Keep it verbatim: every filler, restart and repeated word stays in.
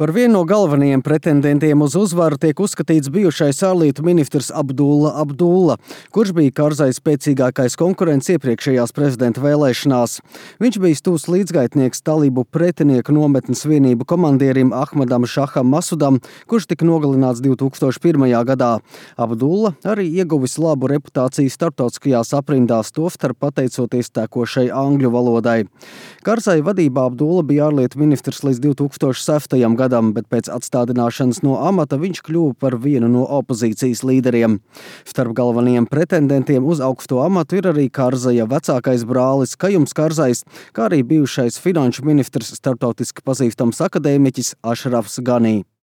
Par vienu no galvenajiem pretendentiem uz uzvaru tiek uzskatīts bijušais ārlietu ministrs Abdulla Abdulla, kurš bija Karzai spēcīgākais konkurents iepriekšējās prezidenta vēlēšanās. Viņš bija tūs līdzgaitnieks talību pretinieku nometnes vienību komandierim Ahmadam Šaham Masudam, kurš tika nogalināts divi tūkstoši pirmajā gadā. Abdulla arī ieguvis labu reputāciju starptautiskajās aprindās, tostarp pateicoties tekošai angļu valodai. Karzai vadībā Abdulla bija ārlietu ministrs līdz divi tūkstoši sestajam gadam, bet pēc atstādināšanas no amata viņš kļuva par vienu no opozīcijas līderiem. Starp galvenajiem pretendentiem uz augsto amatu ir arī Karzaja vecākais brālis Kajums Karzais, kā arī bijušais finanšu ministrs, starptautiski pazīstams akadēmiķis Ašrafs Ganī.